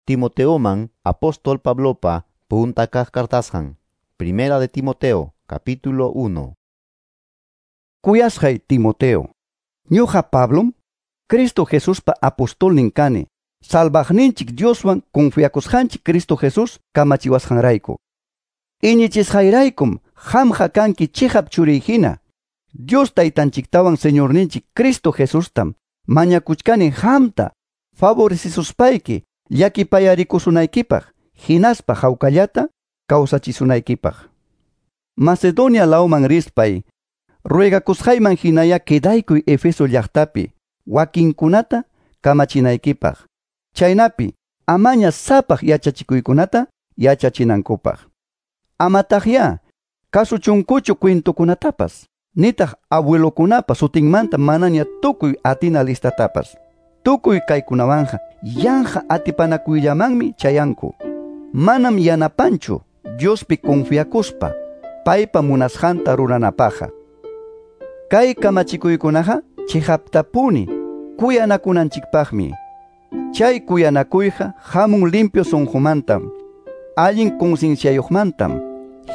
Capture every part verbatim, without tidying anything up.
Timoteoman apóstol Pablopa punta kaq kartasqan. Primera de Timoteo, capítulo uno. Kuyasqay Timoteo, ñuqa Pablom, Cristo Jesuspa apostolnin kani, salvaqninchik Dioswan confiakusqanchik Cristo Jesús kamachiwasqanrayku. Iñichisqayraykum qamqa kanki chiqap churiy hina. Dios taytanchiktawan Señorninchik Cristo Jesustam mañakuchkani qamta favorecisuspayki llakipayarikusunaykipaq, hinaspa hawkallata kawsachisunaykipaq. Macedonia lawman rispay, ruegakusqayman hinaya quedaykuy Efeso llaqtapi wakinkunata kamachinaykipaq. Chaynapi amaña sapaq yachachikuykunata yachachinankupaq. Amataqya kasuchunkuchu cuentokunatapas, nitaq abuelokunapa sutinmanta manaña tukuy atina listatapas. Tukuy kaykunawanja yanqa atipanakuyllamanmi chayanku. Manam yanapanchu Diospi confiakuspa paypa munasqanta ruranapaqqa. Kay kamachikuykunaqa chiqaptapuni kuyanakunanchikpaqmi. Chay kuyanakuyqa hamun limpio sunqumantam, allin concienciayuqmantam,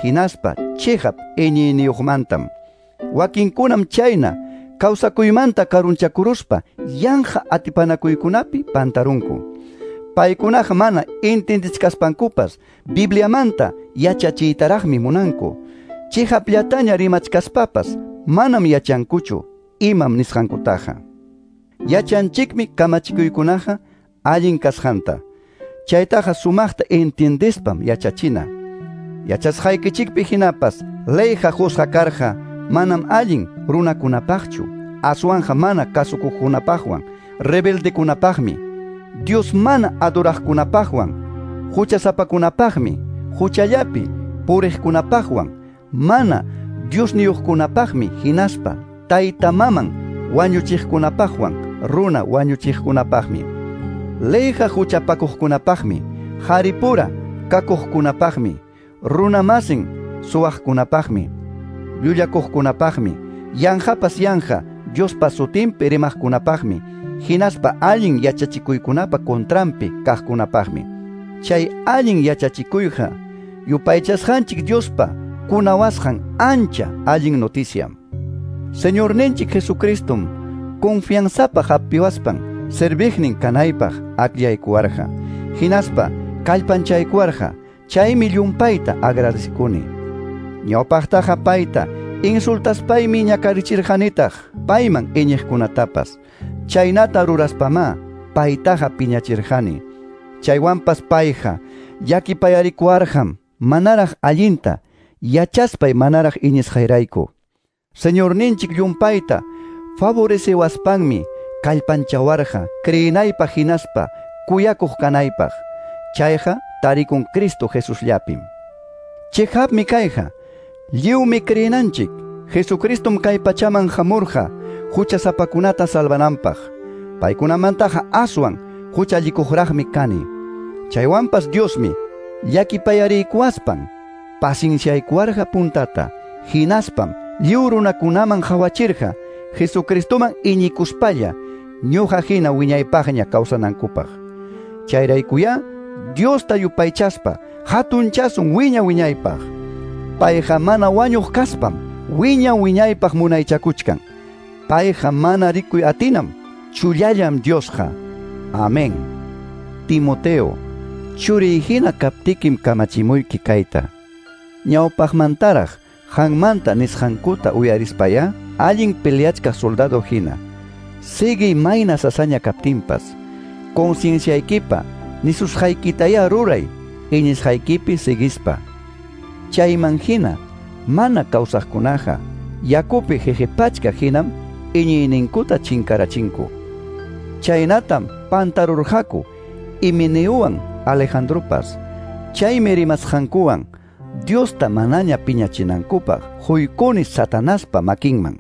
hinaspa chiqap iñiyniyuqmantam. Wakinkunam chayna kawsakuymanta karunchakuruspa yanqa atipanakuykunapi pantarunku. Paykunaqa mana entendichkaspankupas Bibliamanta yachachiytaraqmi munanku. Chiqapllataña rimachkaspapas manam yachankuchu imam nisqankutaqa. Yachanchikmi kamachikuykunaqa allin kasqanta. Chaytaqa sumaqta entiendespam yachachina. Yachasqaykichikpi hinapas leyqa qusqa karqa manam allin runakunapaqchu, aswanja mana kasukuqkunapaqwan, rebeldekunapaqmi, Dios mana adoraqkunapaqwan, huchasapakunapaqmi, huchallapi puriqkunapaqwan, mana Diosniyuqkunapaqmi, hinaspa tayta maman wañuchiqkunapaqwan, runa wañuchiqkunapaqmi. Leyqa huchapakuqkunapaqmi, haripura kakuqkunapaqmi, runa masin suwaqkunapaqmi, llullakuqkunapaqmi, yanqapas yanqa Diospa sutinpi rimaqkunapaqmi, hinaspa allin yachachikuykunapa contranpi kaqkunapaqmi. Chay allin yachachikuyqa yupaychasqanchik Diospa kunawasqan ancha allin noticiam. Señorninchik Jesucristum confianzapaq hapiwaspan serviqnin kanaypaq akllaykuwarqa, hinaspa kallpanchaykuwarqa. Chaymi llumpayta agradecikuni. Ñawpaqtaqa payta insultaspaymi ñakarichirqanitaq payman iñiqkunatapas. Chaynata ruraspamá paytaqa piñachirqani. Chaywanpas payqa llakipayarikuwarqam manaraq allinta yachaspay manaraq iñisqayrayku. Señorninchik llumpayta favorecewaspanmi kallpanchawarqa creenaypaq hinaspa kuyakuq kanaypaq. Chayqa tarikun Cristo Jesusllapim. Chiqapmi kayqa, lliwmi creenanchik Jesucristum kay pachaman hamurqa huchasapakunata salvananpaq. Paykunamantaqa aswan huchallikuqraqmi kani. Chaywanpas Diosmi llakipayariykuwaspan pacienciaykuwarqa puntata, hinaspam lliw runakunaman qhawachirqa Jesucristoman iñikuspalla ñuqa hina wiñaypaqña kawsanankupaq. Chayraykuyá Diosta yupaychaspa hatunchasun wiña wiñaypaq. Payqa mana wañuq kaspam wiña wiñaypaq munaychakuchkan. Payqa mana rikuy atinam, chullallam Diosqa. Amén. Timoteo, churiy hina kaptikim kamachimuyki kayta. Ñawpaqmantaraq qanmanta nisqankuta uyarispaya allin peleachkaq soldado hina. Siguiy mayna sasaña kaptinpas. Concienciaykipa nisusqaykitaya ruray, iñisqaykipi siguispa. Chayman hina mana kawsaqkunaqa yakupi jejepachka hinam iñiyninkuta chinkarachinku. Chaynatam pantarurqaku Himeneuwan Alejandropas. Chaymi rimasqankuwan Diosta manaña piñachinankupaq huykuni Satanaspa makinman.